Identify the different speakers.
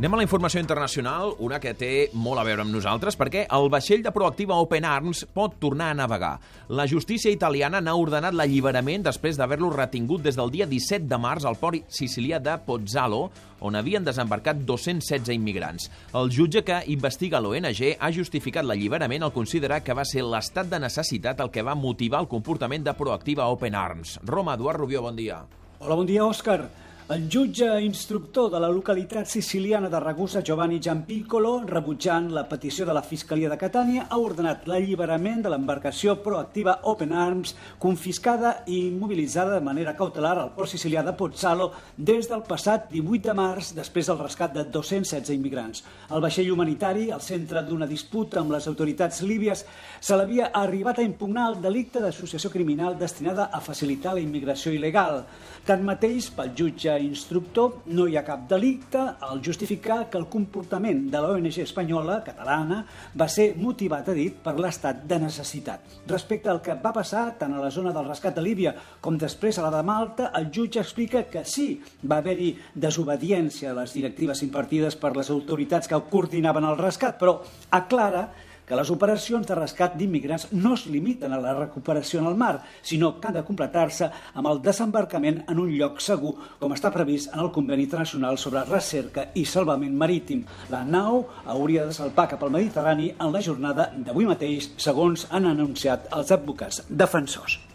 Speaker 1: Anem a la informació internacional, una que té molt a veure amb nosaltres, perquè el vaixell de Proactiva Open Arms pot tornar a navegar. La justícia italiana n'ha ordenat l'alliberament després d'haver-lo retingut des del dia 17 de març al port sicilià de Pozzallo, on havien desembarcat 216 immigrants. El jutge que investiga l'ONG ha justificat l'alliberament al considerar que va ser l'estat de necessitat el que va motivar el comportament de Proactiva Open Arms. Roma, Eduard Rubió, bon dia.
Speaker 2: Hola, bon dia, Òscar. El jutge instructor de la localitat siciliana de Ragusa, Giovanni Giampiccolo, rebutjant la petició de la Fiscalia de Catània, ha ordenat l'alliberament de l'embarcació Proactiva Open Arms, confiscada i immobilitzada de manera cautelar al port sicilià de Pozzallo des del passat 18 de març, després del rescat de 216 immigrants. El vaixell humanitari, al centre d'una disputa amb les autoritats líbies, se l'havia arribat a impugnar el delicte d'associació criminal destinada a facilitar la immigració il·legal. Tanmateix, pel jutge instructor, no hi ha cap delicte al justificar que el comportament de l'ONG espanyola, catalana, va ser motivat, ha dit, per l'estat de necessitat. Respecte al que va passar tant a la zona del rescat de Líbia com després a la de Malta, el jutge explica que sí, va haver-hi desobediència a les directives impartides per les autoritats que coordinaven el rescat, però aclara que les operacions de rescat d'immigrants no es limiten a la recuperació en el mar, sinó que han de completar-se amb el desembarcament en un lloc segur, com està previst en el Conveni Internacional sobre Recerca i Salvament Marítim. La nau hauria de salpar cap al Mediterrani en la jornada d'avui mateix, segons han anunciat els advocats defensors.